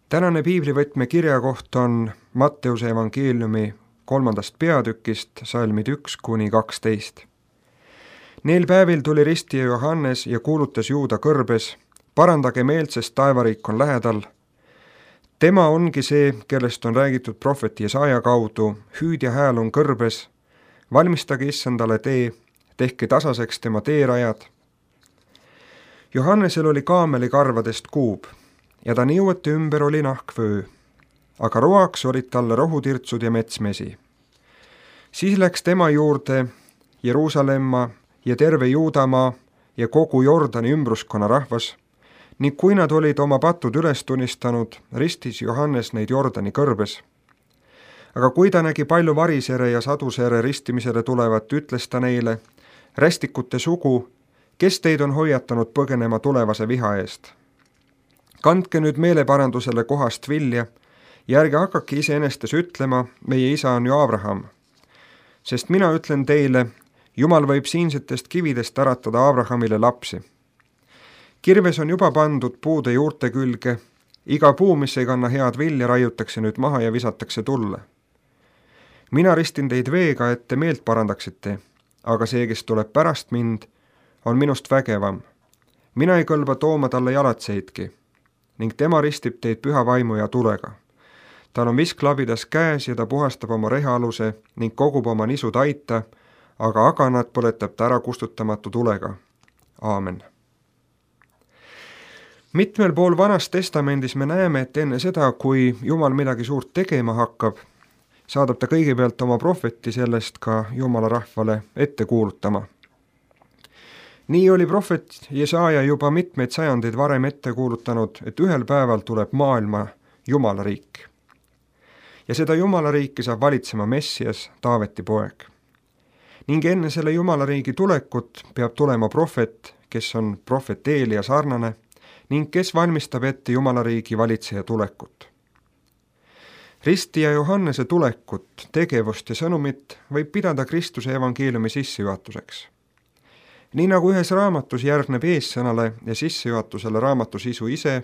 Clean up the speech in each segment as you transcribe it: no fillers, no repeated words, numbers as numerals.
Tänane piiblivõtme kirjakoht on Matteuse evangeeliumi 3. peatükist salmid 1–12. Neil päevil tuli ristija Johannes ja kuulutas Juuda kõrbes, parandage meelt, sest taevariik on lähedal. Tema ongi see, kellest on räägitud prohveti Jesaja kaudu, hüüdja hääl on kõrbes, valmistage issandale tee, tehke tasaseks tema teerajad. Johannesel oli kaamelikarvadest kuub ja ta niuete ümber oli nahkvöö, aga roaks olid talle rohutirtsud ja metsmesi. Siis läks tema juurde Jeruusalemma ja terve Juudamaa ja kogu Jordani ümbruskonna rahvas, ning kui nad olid oma patud üles tunnistanud, ristis Johannes neid Jordani kõrbes. Aga kui ta nägi palju varisere ja sadusere ristimisele tulevat, ütles ta neile, rästikute sugu, kes teid on hoiatanud põgenema tulevase viha eest? Kandke nüüd meeleparandusele kohast vilja ja ärge hakake iseenestes ütlema, meie isa on ju Abraham. Sest mina ütlen teile, Jumal võib siinsetest kividest äratada Abrahamile lapsi. Kirves on juba pandud puude juurte külge, iga puu, mis ei kanna head vilja, raiutakse nüüd maha ja visatakse tulle. Mina ristin teid veega, et te meelt parandaksite, aga see, kes tuleb pärast mind, on minust vägevam. Mina ei kõlba tooma talle jalatseidki, ning tema ristib teid püha vaimu ja tulega. Tal on visklabidas käes ja ta puhastab oma rehaaluse ning kogub oma nisu taita, aga aganad põletab ta ära kustutamatu tulega. Aamen. Mitmel pool Vanas Testamendis me näeme, et enne seda, kui Jumal midagi suurt tegema hakkab, saadab ta kõigepealt oma prohveti sellest ka Jumala rahvale ette kuulutama. Nii oli prohvet Jesaja juba mitmeid sajandeid varem ette kuulutanud, et ühel päeval tuleb maailma Jumala riik. Ja seda Jumala riiki saab valitsema Messias, Taaveti poeg. Ning enne selle Jumala riigi tulekut peab tulema prohvet, kes on prohvet Eelia sarnane, ning kes valmistab ette Jumala riigi valitseja tulekut. Ristija Johannese tulekut, tegevust ja sõnumit võib pidada Kristuse evangeeliumi sissejuhatuseks. Nii nagu ühes raamatus järgneb eessõnale ja sissejuhatusele raamatu sisu ise,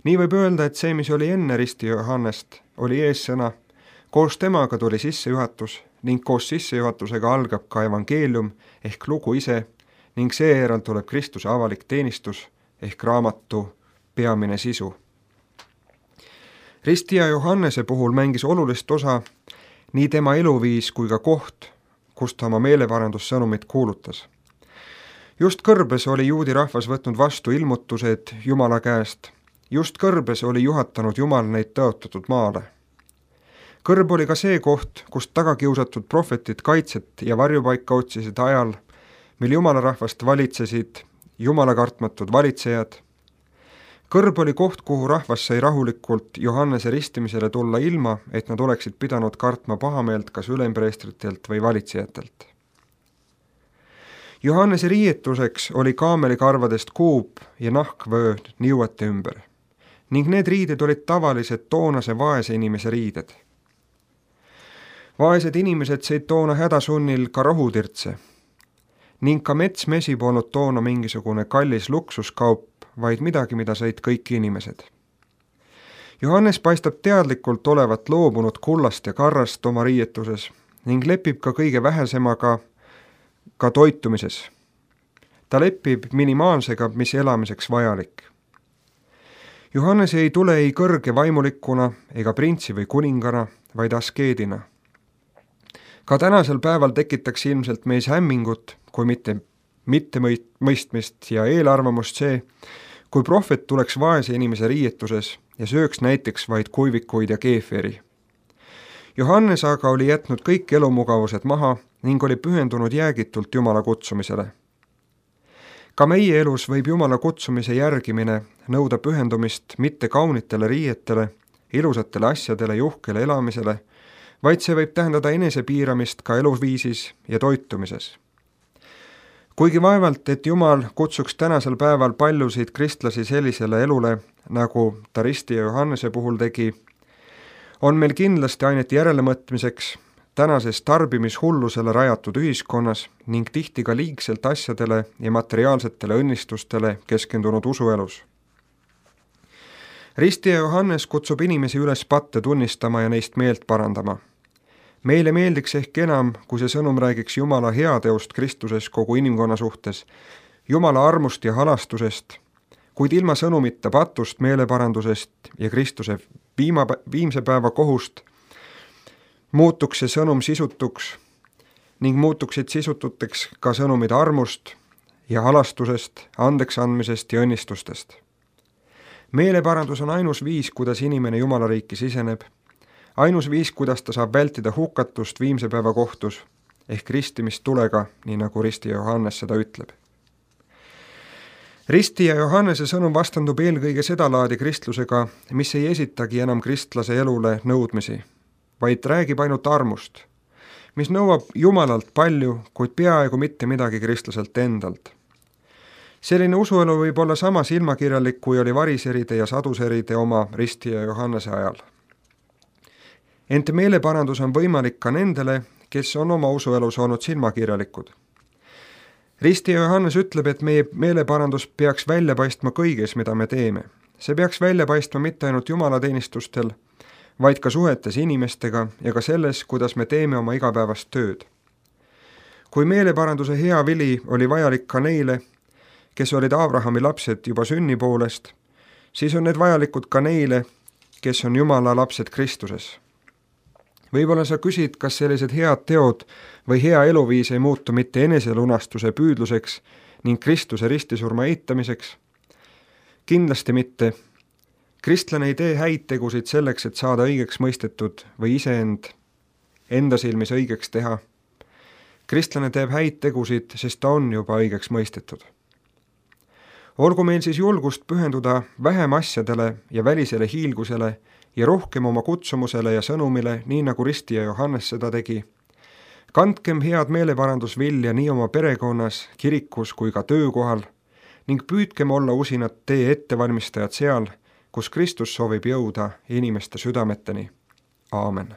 nii võib öelda, et see, mis oli enne ristija Johannest, oli eessõna, koos temaga tuli sissejuhatus ning koos sissejuhatusega algab ka evangeelium ehk lugu ise ning seejärel tuleb Kristuse avalik teenistus ehk raamatu peamine sisu. Ristija Johannese puhul mängis olulist osa nii tema eluviis kui ka koht, kus ta oma meeleparandussõnumit kuulutas. Just kõrbes oli juudi rahvas võtnud vastu ilmutused Jumala käest, just kõrbes oli juhatanud Jumal neid tõotatud maale. Kõrb oli ka see koht, kust tagakiusatud prohvetid kaitset ja varjupaika otsisid ajal, mil Jumala rahvast valitsesid Jumala kartmatud valitsejad. Kõrb oli koht, kuhu rahvas sai rahulikult Johannese ristimisele tulla ilma, et nad oleksid pidanud kartma pahameelt kas ülempreestritelt või valitsejatelt. Johannese riietuseks oli kaamelikarvadest kuub ja nahkvöö niuete ümber, ning need riided olid tavalised toonase vaese inimese riided. Vaesed inimesed sõid toona hädasunnil ka rohutirtse, ning ka metsmesi polnud toona mingisugune kallis luksuskaup, vaid midagi, mida sõid kõik inimesed. Johannes paistab teadlikult olevat loobunud kullast ja karrast oma riietuses ning lepib ka kõige vähesemaga ka toitumises. Ta lepib minimaalsega, mis elamiseks vajalik. Johannes ei tule ei kõrge vaimulikuna ega printsi või kuningana, vaid askeedina. Ka tänasel päeval tekitaks ilmselt meis hämmingut, kui mitte mõistmist ja eelarvamust see, kui prohvet tuleks vaese inimese riietuses ja sööks näiteks vaid kuivikuid ja keefiri. Johannes aga oli jätnud kõik elumugavused maha ning oli pühendunud jäägitult Jumala kutsumisele. Ka meie elus võib Jumala kutsumise järgimine nõuda pühendumist mitte kaunitele riietele, ilusatele asjadele, juhkele elamisele, vaid see võib tähendada enesepiiramist ka eluviisis ja toitumises. Kuigi vaevalt, et Jumal kutsuks tänasel päeval paljusid kristlasi sellisele elule, nagu ta ristija Johannese puhul tegi, on meil kindlasti ainet järelemõtmiseks tänases tarbimishullusele rajatud ühiskonnas ning tihti ka liigselt asjadele ja materiaalsetele õnnistustele keskendunud usuelus. Ristija Johannes kutsub inimesi üles patte tunnistama ja neist meelt parandama. Meile meeldiks ehk enam, kui see sõnum räägiks Jumala heateost Kristuses kogu inimkonna suhtes, Jumala armust ja halastusest, kuid ilma sõnumita patust, meeleparandusest ja Kristuse viimse päeva kohust muutuks see sõnum sisutuks ning muutuksid sisututeks ka sõnumid armust ja halastusest, andeks andmisest ja õnnistustest. Meeleparandus on ainus viis, kuidas inimene Jumala riiki siseneb, ainus viis, kuidas ta saab vältida hukatust viimse päeva kohtus ehk ristimist tulega, nii nagu ristija Johannes seda ütleb. Ristija Johannese sõnum vastandub eelkõige sedalaadi kristlusega, mis ei esitagi enam kristlase elule nõudmisi, vaid räägib ainult armust, mis nõuab Jumalalt palju, kuid peaaegu mitte midagi kristlaselt endalt. Selline usuelu võib olla sama silmakirjalik, kui oli variseride ja saduseride oma ristija Johannese ajal. Ent meeleparandus on võimalik ka nendele, kes on oma usuelus olnud silmakirjalikud. Ristija Johannes ütleb, et meie meeleparandus peaks välja paistma kõiges, mida me teeme. See peaks välja paistma mitte ainult jumalateenistustel, vaid ka suhetes inimestega ja ka selles, kuidas me teeme oma igapäevast tööd. Kui meeleparanduse hea vili oli vajalik ka neile, kes olid Abrahami lapsed juba sünni poolest, siis on need vajalikud ka neile, kes on Jumala lapsed Kristuses. Võib-olla sa küsid, kas sellised head teod või hea eluviis ei muutu mitte eneselunastuse püüdluseks ning Kristuse ristisurma eitamiseks? Kindlasti mitte. Kristlane ei tee häid tegusid selleks, et saada õigeks mõistetud või enda silmis õigeks teha. Kristlane teeb häid tegusid, sest ta on juba õigeks mõistetud. Olgu meil siis julgust pühenduda vähem asjadele ja välisele hiilgusele ja rohkem oma kutsumusele ja sõnumile, nii nagu ristija Johannes seda tegi. Kandkem head meeleparandusvilja nii oma perekonnas, kirikus kui ka töökohal ning püüdkem olla usinad tee ettevalmistajad seal, kus Kristus soovib jõuda inimeste südameteni. Aamen.